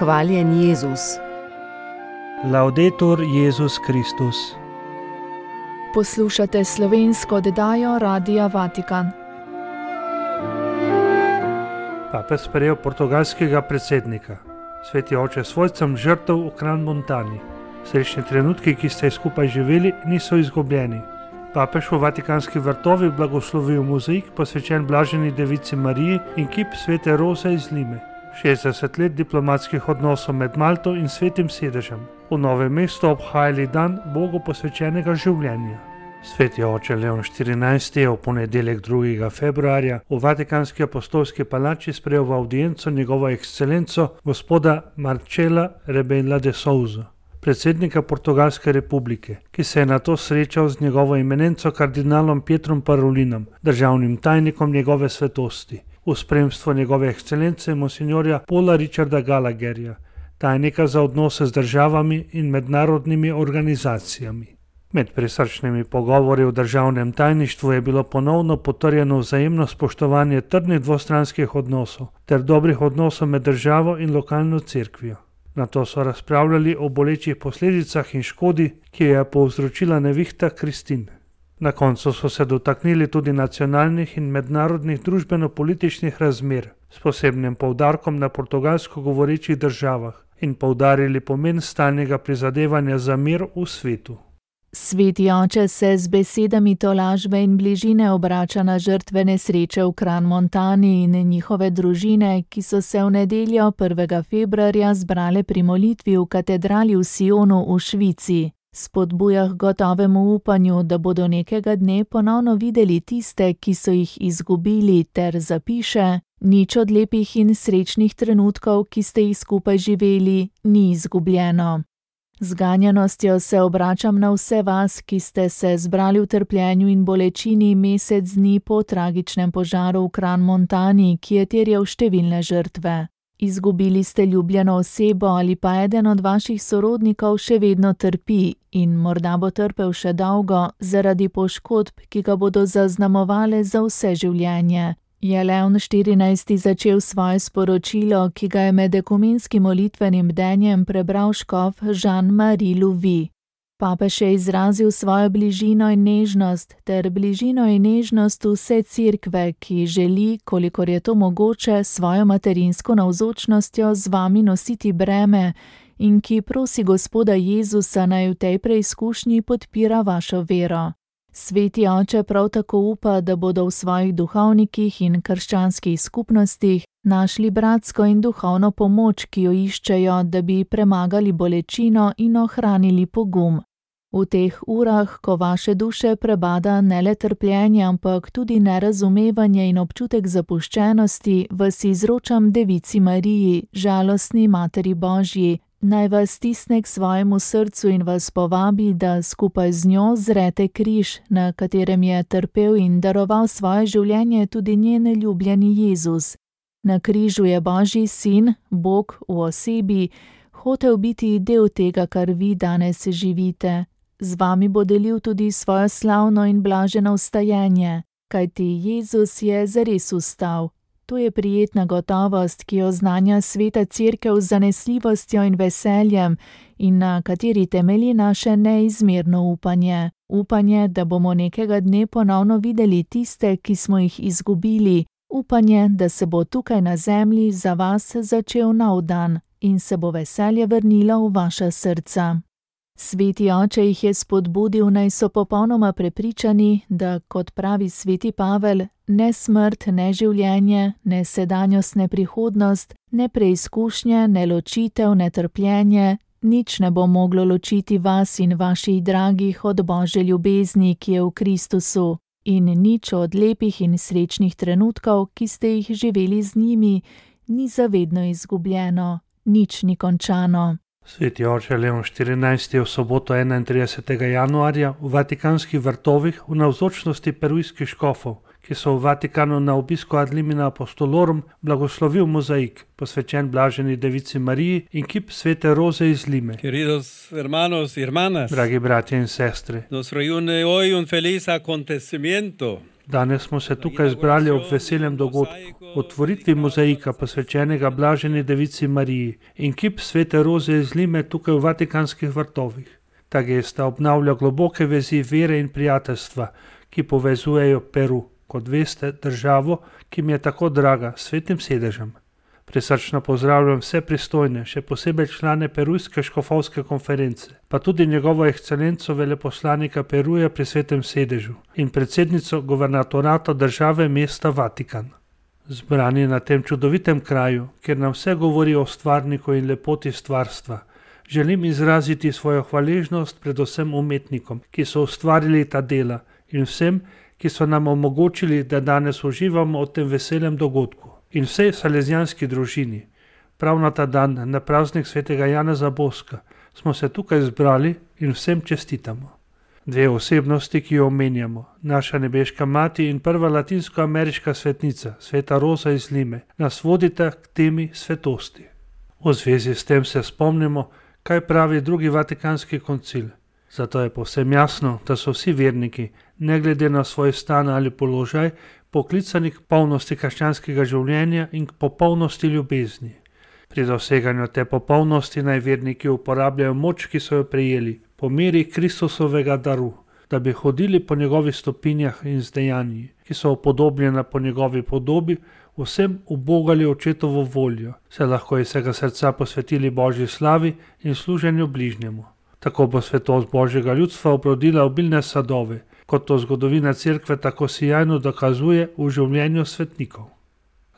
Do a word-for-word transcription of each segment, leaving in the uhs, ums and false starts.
Hvaljen Jezus. Laudetur Jezus Kristus. Poslušate slovensko oddajo Radia Vatikan. Papež sprejel portugalskega predsednika. Sveti oče, svojcem žrtev v Crans-Montani. Srečni trenutki, ki ste skupaj živeli, niso izgubljeni. Papež v Vatikanski vrtovi blagoslovil mozaik, posvečen blaženi devici Mariji, in kip svete Roze iz Lime. šestdeset let diplomatskih odnosov med Malto in Svetim sedežem. V Novem mestu obhajali dan Bogu posvečenega življenja. Sveti oče Leon štirinajsti je v ponedeljek drugega februarja v Vatikanski apostolski palači sprejel v avdienco njegovo ekscelenco gospoda Marcela Rebela de Souza, predsednika Portugalske republike, ki se je nato srečal z njegovo eminenco kardinalom Pietrom Parolinom, državnim tajnikom njegove svetosti, v spremstvu njegove ekscelence monsignorja Paula Richarda Gallagherja, tajnika za odnose z državami in mednarodnimi organizacijami. Med prisrčnimi pogovori v državnem tajništvu je bilo ponovno potrjeno vzajemno spoštovanje trdnih dvostranskih odnosov ter dobrih odnosov med državo in lokalno cerkvijo. Nato so razpravljali o bolečih posledicah in škodi, ki jo je povzročila nevihta Kristin. Na koncu so se dotaknili tudi nacionalnih in mednarodnih družbeno-političnih razmer s posebnim poudarkom na portugalsko govorečih državah in poudarili pomen stalnega prizadevanja za mir v svetu. Sveti oče se z besedami tolažbe in bližine obrača na žrtve nesreče v Crans-Montani in njihove družine, ki so se v nedeljo prvega februarja zbrale pri molitvi v katedrali v Sionu v Švici. Spodbuja k gotovemu upanju, da bodo nekega dne ponovno videli tiste, ki so jih izgubili, ter zapiše: nič od lepih in srečnih trenutkov, ki ste jih skupaj živeli, ni izgubljeno. Z ganjenostjo se obračam na vse vas, ki ste se zbrali v trpljenju in bolečini mesec dni po tragičnem požaru v Crans-Montani, ki je terjal številne žrtve. Izgubili ste ljubljeno osebo ali pa eden od vaših sorodnikov še vedno trpi in morda bo trpel še dolgo zaradi poškodb, ki ga bodo zaznamovale za vse življenje. Je Leon štirinajsti začel svoje sporočilo, ki ga je med ekumenskim molitvenim bdenjem prebral škof Jean-Marie Louvi. Papež je izrazil svojo bližino in nežnost ter bližino in nežnost vse cerkve, ki želi, kolikor je to mogoče, svojo materinsko navzočnostjo z vami nositi breme in ki prosi Gospoda Jezusa, naj v tej preizkušnji podpira vašo vero. Sveti oče prav tako upa, da bodo v svojih duhovnikih in krščanskih skupnostih našli bratsko in duhovno pomoč, ki jo iščejo, da bi premagali bolečino in ohranili pogum. V teh urah, ko vaše duše prebada ne le trpljenje, ampak tudi nerazumevanje in občutek zapuščenosti, vas izročam Devici Mariji, žalostni Materi Božji, naj vas stisne k svojemu srcu in vas povabi, da skupaj z njo zrete križ, na katerem je trpel in daroval svoje življenje tudi njen ljubljeni Jezus. Na križu je Božji sin, Bog v osebi, hotel biti del tega, kar vi danes živite. Z vami bo delil tudi svojo slavno in blaženo vstajenje, kajti Jezus je zares vstal. To je prijetna gotovost, ki jo znanja sveta cerkev z zanesljivostjo in veseljem in na kateri temelji naše neizmerno upanje. Upanje, da bomo nekega dne ponovno videli tiste, ki smo jih izgubili. Upanje, da se bo tukaj na zemlji za vas začel nov dan in se bo veselje vrnilo v vaša srca. Sveti oče jih je spodbudil, naj so popolnoma prepričani, da, kot pravi sveti Pavel, ne smrt, ne življenje, ne sedanjost, ne prihodnost, ne preizkušnje, ne ločitev, ne trpljenje, nič ne bo moglo ločiti vas in vaših dragih od Božje ljubezni, ki je v Kristusu, in nič od lepih in srečnih trenutkov, ki ste jih živeli z njimi, ni zavedno izgubljeno, nič ni končano. Sveti oče Leon štirinajsti je v soboto enaintridesetega januarja v Vatikanskih vrtovih v navzočnosti perujskih škofov, ki so v Vatikanu na obisku ad limina apostolorum, blagoslovil mozaik, posvečen blaženi devici Mariji, in kip svete Roze iz Lime. Queridos hermanos y hermanas, Dragi bratje in sestre, nos reúne hoy un feliz acontecimiento. Danes smo se tukaj zbrali ob veselem dogodku, otvoritvi mozaika posvečenega Blaženi Devici Mariji in kip svete Roze iz Lime tukaj v Vatikanskih vrtovih. Ta gesta obnavlja globoke vezi vere in prijateljstva, ki povezujejo Peru, kot veste, državo, ki mi je tako draga, s svetim sedežem. Prisrčno pozdravljam vse pristojne, še posebej člane Perujske škofovske konference, pa tudi njegovo ekscelenco veleposlanika Peruja pri svetem sedežu in predsednico guvernatorata države mesta Vatikan. Zbrani na tem čudovitem kraju, kjer nam vse govori o stvarniku in lepoti stvarstva, želim izraziti svojo hvaležnost predvsem umetnikom, ki so ustvarili ta dela, in vsem, ki so nam omogočili, da danes uživamo v tem veselem dogodku. In vsej salezijanski družini. Prav na ta dan, na praznik svetega Janeza Boska, smo se tukaj zbrali in vsem čestitamo. Dve osebnosti, ki jo omenjamo, naša nebeška mati in prva latinsko-ameriška svetnica, sveta Roza iz Lime, nas vodita k temi svetosti. V zvezi s tem se spomnimo, kaj pravi drugi Vatikanski koncil. Zato je povsem jasno, da so vsi verniki, ne glede na svoj stan ali položaj, poklicani k polnosti krščanskega življenja in k popolnosti ljubezni. Pri doseganju te popolnosti naj verniki uporabljajo moč, ki so jo prejeli, po meri Kristusovega daru, da bi hodili po njegovih stopinjah in z dejanji, ki so upodobljena po njegovi podobi, vsem ubogali očetovo voljo, se lahko iz vsega srca posvetili Božji slavi in služenju bližnjemu. Tako bo svetost Božjega ljudstva obrodila obilne sadove, kot to zgodovina cerkve tako sijajno dokazuje v življenju svetnikov.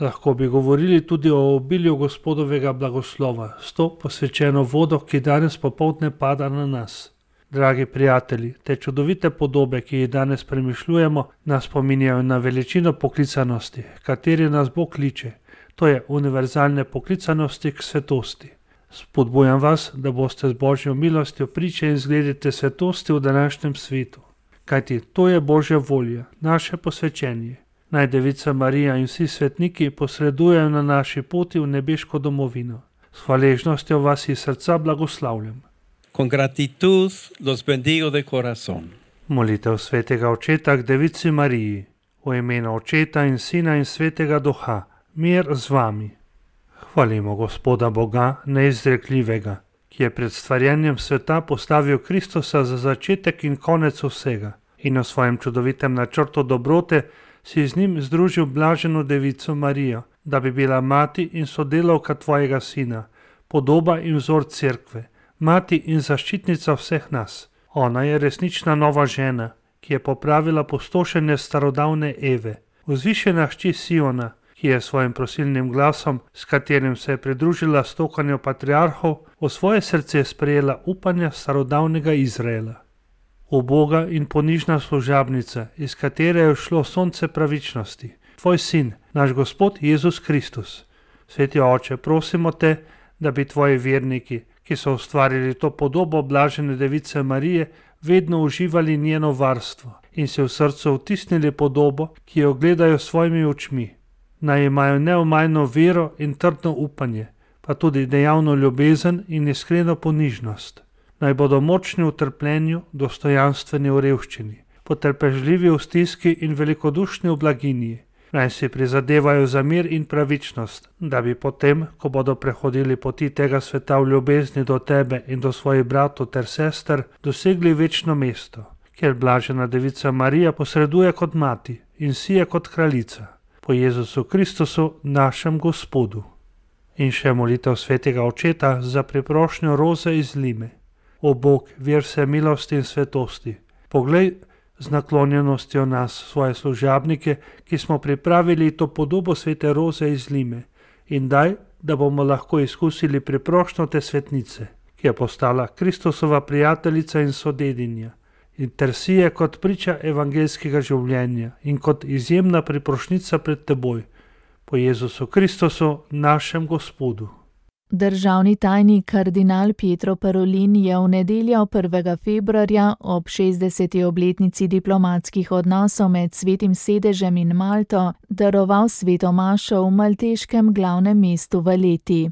Lahko bi govorili tudi o obilju Gospodovega blagoslova, s to posvečeno vodo, ki danes popoldne pada na nas. Dragi prijatelji, te čudovite podobe, ki jih danes premišljujemo, nas spominjajo na veličino poklicanosti, kateri nas Bog kliče, to je univerzalne poklicanosti k svetosti. Spodbujam vas, da boste z Božjo milostjo priče in zgledite svetosti v današnjem svetu. Kajti to je Božja volja, naše posvečenje. Naj Devica Marija in vsi svetniki posredujejo na naši poti v nebeško domovino. S hvaležnostjo vas iz srca blagoslavljam. Con gratitud los bendigo de corazón. Molitev svetega očeta k Devici Mariji. V imenu Očeta in Sina in Svetega Duha. Mir z vami. Hvalimo Gospoda Boga neizrekljivega, ki je pred stvarjenjem sveta postavil Kristusa za začetek in konec vsega in v svojem čudovitem načrtu dobrote si z njim združil Blaženo Devico Marijo, da bi bila mati in sodelavka tvojega sina, podoba in vzor cerkve, mati in zaščitnica vseh nas. Ona je resnična nova žena, ki je popravila pustošenje starodavne Eve, vzvišena hči Siona, ki je svojim prosilnim glasom, s katerim se je pridružila stokanju patriarhov, v svoje srce sprejela upanja starodavnega Izraela. Uboga in ponižna služabnica, iz katere je šlo sonce pravičnosti, tvoj sin, naš Gospod Jezus Kristus. Sveti Oče, prosimo te, da bi tvoji verniki, ki so ustvarili to podobo Blažene Device Marije, vedno uživali njeno varstvo in se v srcu vtisnili podobo, ki jo gledajo svojimi očmi. Naj imajo neomajno vero in trdno upanje, pa tudi dejavno ljubezen in iskreno ponižnost. Naj bodo močni v trpljenju, dostojanstveni v revščini, potrpežljivi v stiski in velikodušni v blaginji. Naj si prizadevajo za mir in pravičnost, da bi potem, ko bodo prehodili poti tega sveta v ljubezni do tebe in do svojih bratov ter sester, dosegli večno mesto, kjer Blažena Devica Marija posreduje kot mati in sije kot kraljica. Po Jezusu Kristusu, našem Gospodu. In še molitev svetega Očeta za priprošnjo Roze iz Lime. O Bog, vir vse milosti in svetosti, poglej z naklonjenostjo nas, svoje služabnike, ki smo pripravili to podobo svete Roze iz Lime, in daj, da bomo lahko izkusili priprošnjo te svetnice, ki je postala Kristusova prijateljica in sodedinja, in ter si je kot priča evangeljskega življenja in kot izjemna priprošnica pred teboj, po Jezusu Kristusu, našem Gospodu. Državni tajnik kardinal Pietro Parolin je v nedeljo prvega februarja ob šestdeseti obletnici diplomatskih odnosov med Svetim sedežem in Malto daroval sveto mašo v malteškem glavnem mestu Valletti.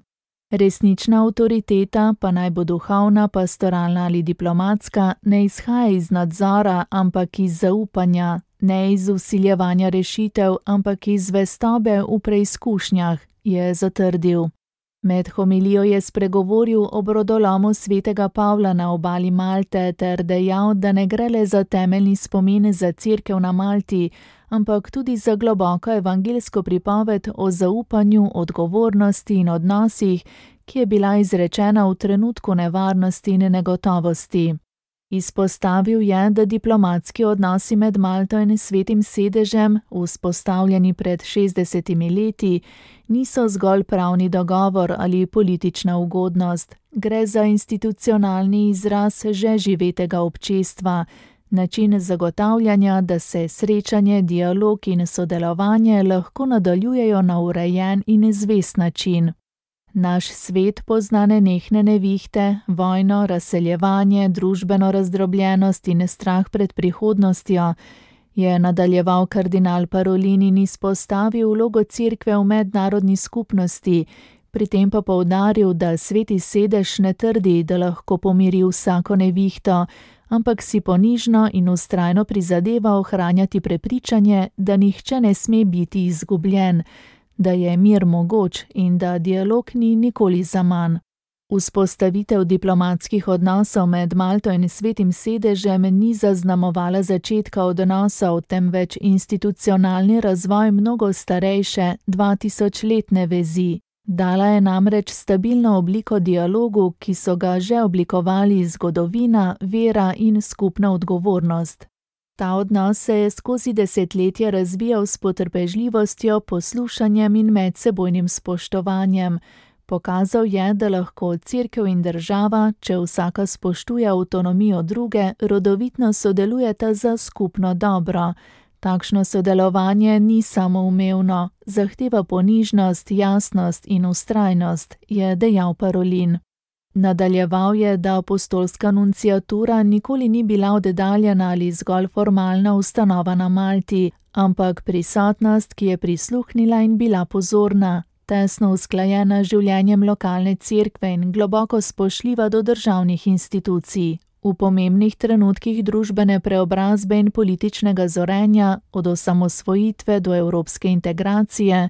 Resnična avtoriteta, pa naj bo duhovna, pastoralna ali diplomatska, ne izhaja iz nadzora, ampak iz zaupanja, Ne iz vsiljevanja rešitev, ampak iz zvestobe v preizkušnjah, je zatrdil. Med homilijo je spregovoril o brodolomu svetega Pavla na obali Malte ter dejal, da ne gre le za temeljni spomin za cerkev na Malti, ampak tudi za globoko evangeljsko pripoved o zaupanju, odgovornosti in odnosih, ki je bila izrečena v trenutku nevarnosti in negotovosti. Izpostavil je, da diplomatski odnosi med Malto in Svetim sedežem, vzpostavljeni pred šestdesetimi leti, niso zgolj pravni dogovor ali politična ugodnost. Gre za institucionalni izraz že živetega občestva, način zagotavljanja, da se srečanje, dialog in sodelovanje lahko nadaljujejo na urejen in zvest način. Naš svet pozna nenehne nevihte, vojno, razseljevanje, družbeno razdrobljenost in strah pred prihodnostjo, je nadaljeval kardinal Parolin in izpostavil vlogo cerkve v mednarodni skupnosti, pri tem pa poudaril, da Sveti sedež ne trdi, da lahko pomiri vsako nevihto, ampak si ponižno in vztrajno prizadeva ohranjati prepričanje, da nihče ne sme biti izgubljen, da je mir mogoč in da dialog ni nikoli zaman. Vzpostavitev diplomatskih odnosov med Malto in Svetim sedežem ni zaznamovala začetka odnosov, temveč institucionalni razvoj mnogo starejše, dvatisočletne vezi. Dala je namreč stabilno obliko dialogu, ki so ga že oblikovali zgodovina, vera in skupna odgovornost. Ta odnos se je skozi desetletje razvijal s potrpežljivostjo, poslušanjem in medsebojnim spoštovanjem. Pokazal je, da lahko cerkev in država, če vsaka spoštuje avtonomijo druge, rodovitno sodelujeta za skupno dobro. Takšno sodelovanje ni samoumevno, zahteva ponižnost, jasnost in vztrajnost, je dejal Parolin. Nadaljeval je, da apostolska nunciatura nikoli ni bila oddaljena ali zgolj formalna ustanova na Malti, ampak prisotnost, ki je prisluhnila in bila pozorna, tesno usklajena z življenjem lokalne cerkve in globoko spoštljiva do državnih institucij. V pomembnih trenutkih družbene preobrazbe in političnega zorenja, od osamosvojitve do evropske integracije,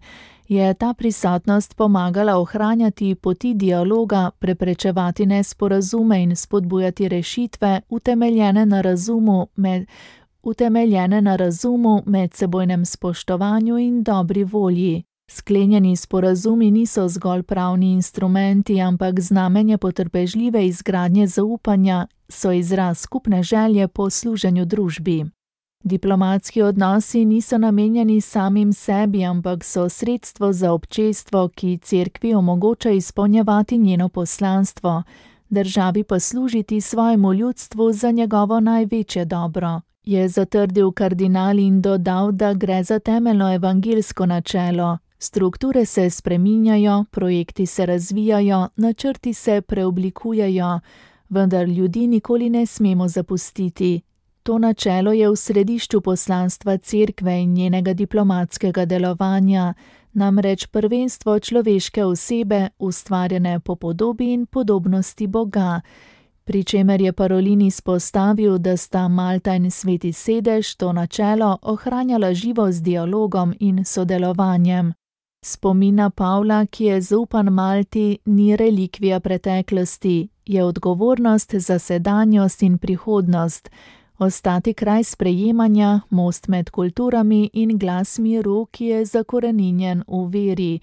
je ta prisotnost pomagala ohranjati poti dialoga, preprečevati nesporazume in spodbujati rešitve, utemeljene na razumu, med, utemeljene na razumu, medsebojnem spoštovanju in dobri volji. Sklenjeni sporazumi niso zgolj pravni instrumenti, ampak znamenje potrpežljive izgradnje zaupanja, so izraz skupne želje po služenju družbi. Diplomatski odnosi niso namenjeni samim sebi, ampak so sredstvo za občestvo, ki cerkvi omogoča izpolnjevati njeno poslanstvo, državi pa služiti svojemu ljudstvu za njegovo največje dobro, je zatrdil kardinal in dodal, da gre za temeljno evangeljsko načelo. Strukture se spreminjajo, projekti se razvijajo, načrti se preoblikujejo, vendar ljudi nikoli ne smemo zapustiti. To načelo je v središču poslanstva cerkve in njenega diplomatskega delovanja, namreč prvenstvo človeške osebe, ustvarjene po podobi in podobnosti Boga, pri čemer je Parolin izpostavil, da sta Malta in Sveti sedež to načelo ohranjala živo z dialogom in sodelovanjem. Spomina Pavla, ki je zaupan Malti, ni relikvija preteklosti, je odgovornost za sedanjost in prihodnost, ostati kraj sprejemanja, most med kulturami in glas miru, ki je zakoreninjen v veri,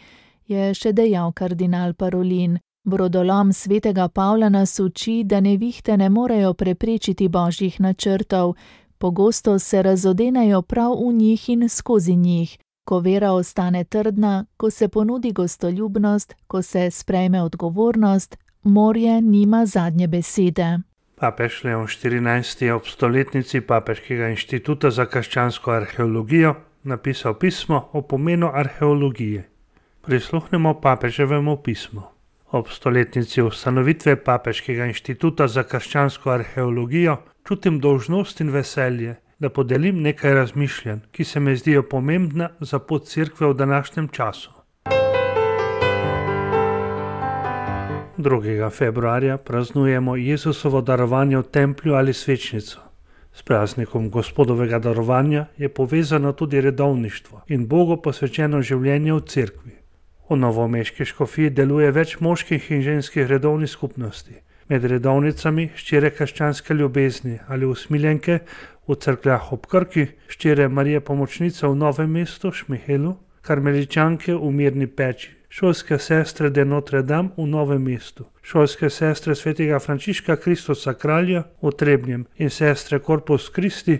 je še dejal kardinal Parolin. Brodolom svetega Pavla nas uči, da nevihte ne morejo preprečiti božjih načrtov, pogosto se razodenejo prav v njih in skozi njih. Ko vera ostane trdna, ko se ponudi gostoljubnost, ko se sprejme odgovornost, morje nima zadnje besede. Papež Leon štirinajsti je ob stoletnici Papeškega inštituta za krščansko arheologijo napisal pismo o pomenu arheologije. Prisluhnemo papeževemu pismu. Ob stoletnici ustanovitve Papeškega inštituta za krščansko arheologijo čutim dolžnost in veselje, da podelim nekaj razmišljanj, ki se mi zdijo pomembna za pot cerkve v današnjem času. drugega februarja praznujemo Jezusovo darovanje v templju ali svečnico. S praznikom Gospodovega darovanja je povezano tudi redovništvo in Bogu posvečeno življenje v cerkvi. V novomeški škofiji deluje več moških in ženskih redovnih skupnosti. Med redovnicami ščire krščanske ljubezni ali usmiljenke v cerkvah ob Krki, ščire Marije Pomočnice v Novem mestu, Šmihelu, karmeličanke v Mirni Peči, šolske sestre de Notre Dame v Novem mestu, šolske sestre svetega Frančiška Kristusa Kralja v Trebnjem in sestre Corpus Christi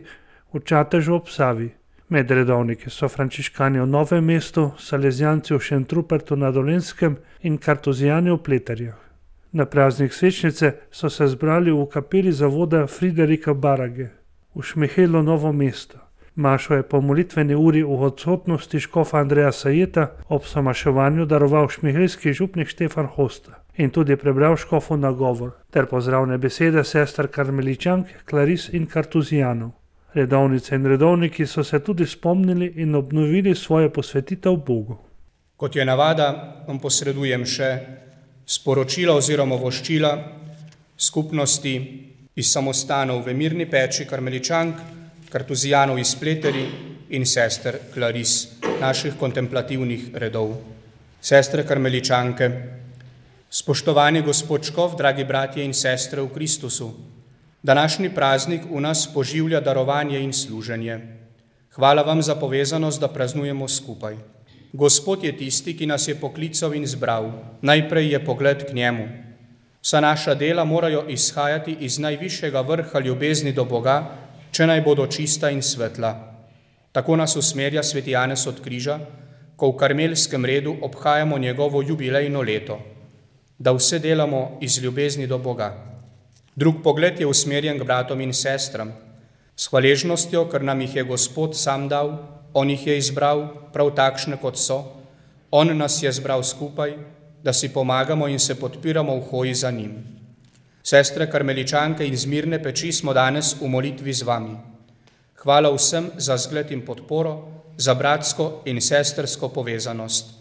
v Čatežu ob Savi. Med redovniki so frančiškani v Novem mestu, salezijanci v Šentrupertu na Dolenjskem in kartuzijani v Pleterjah. Na praznik Svečnice so se zbrali v kapeli zavoda Friderika Barage v Šmihelu Novo mesto. Mašo je po molitveni uri v odsotnosti škofa Andreja Sajeta ob somaševanju daroval šmihelski župnik Štefan Hosta in tudi prebral škofu nagovor ter pozdravne besede sester karmeličank, klaris in kartuzijanov. Redovnice in redovniki so se tudi spomnili in obnovili svojo posvetitev Bogu. Kot je navada, vam posredujem še sporočila oziroma voščila skupnosti iz samostanov v Mirni Peči karmeličank, kartuzijanov iz Pleteri in sester Klaris, naših kontemplativnih redov. Sestre karmeličanke, spoštovani gospod škof, dragi bratje in sestre v Kristusu, današnji praznik v nas poživlja darovanje in služenje. Hvala vam za povezanost, da praznujemo skupaj. Gospod je tisti, ki nas je poklical in zbral. Najprej je pogled k njemu. Vsa naša dela morajo izhajati iz najvišjega vrha ljubezni do Boga, če naj bodo čista in svetla. Tako nas usmerja sveti Janez od Križa, ko v karmelskem redu obhajamo njegovo jubilejno leto, da vse delamo iz ljubezni do Boga. Drug pogled je usmerjen k bratom in sestram, s hvaležnostjo, ker nam jih je Gospod sam dal, on jih je izbral prav takšne, kot so, on nas je zbral skupaj, da si pomagamo in se podpiramo v hoji za njim. Sestre karmeličanke iz Mirne Peči smo danes v molitvi z vami. Hvala vsem za zgled in podporo, za bratsko in sestersko povezanost.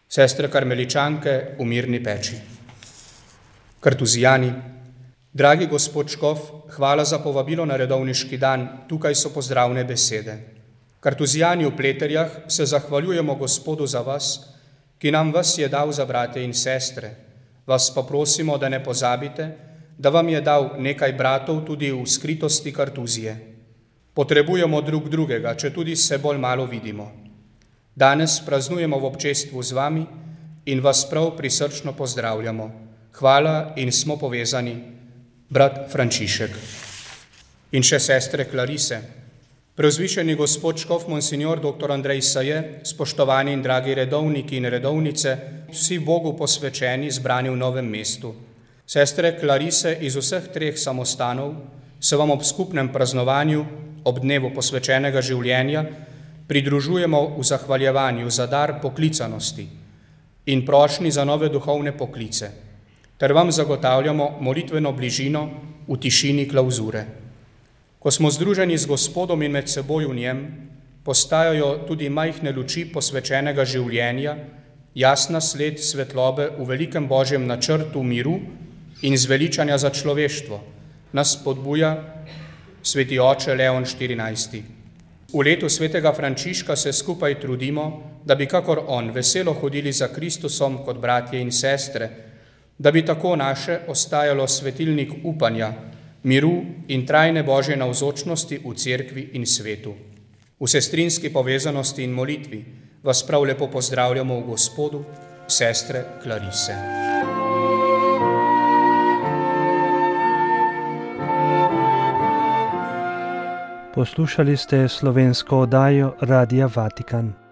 Sestre karmeličanke v Mirni Peči. Kartuzijani, dragi gospod škof, hvala za povabilo na redovniški dan, tukaj so pozdravne besede. Kartuzijani v Pleterjah se zahvaljujemo Gospodu za vas, ki nam vas je dal za brate in sestre. Vas pa prosimo, da ne pozabite, da vam je dal nekaj bratov tudi v skritosti Kartuzije. Potrebujemo drug drugega, če tudi se bolj malo vidimo. Danes praznujemo v občestvu z vami in vas prav prisrčno pozdravljamo. Hvala in smo povezani, brat Frančišek. In še sestre Klarise. Preuzvišeni gospod škof monsignor doktor Andrej Saje, spoštovani in dragi redovniki in redovnice, vsi Bogu posvečeni, zbrani v Novem mestu. Sestre Klarise iz vseh treh samostanov se vam ob skupnem praznovanju, ob dnevu posvečenega življenja, pridružujemo v zahvaljevanju za dar poklicanosti in prošnji za nove duhovne poklice, ter vam zagotavljamo molitveno bližino v tišini klauzure. Ko smo združeni z Gospodom in med seboj v njem, postajajo tudi majhne luči posvečenega življenja, jasna sled svetlobe v velikem Božjem načrtu miru in zveličanja za človeštvo, nas spodbuja sveti oče Leon štirinajsti. V letu svetega Frančiška se skupaj trudimo, da bi kakor on veselo hodili za Kristusom kot bratje in sestre, da bi tako naše ostajalo svetilnik upanja, miru in trajne Božje navzočnosti v cerkvi in svetu. V sestrinski povezanosti in molitvi vas prav lepo pozdravljamo v Gospodu, sestre Klarise. Poslušali ste slovensko oddajo Radia Vatikan.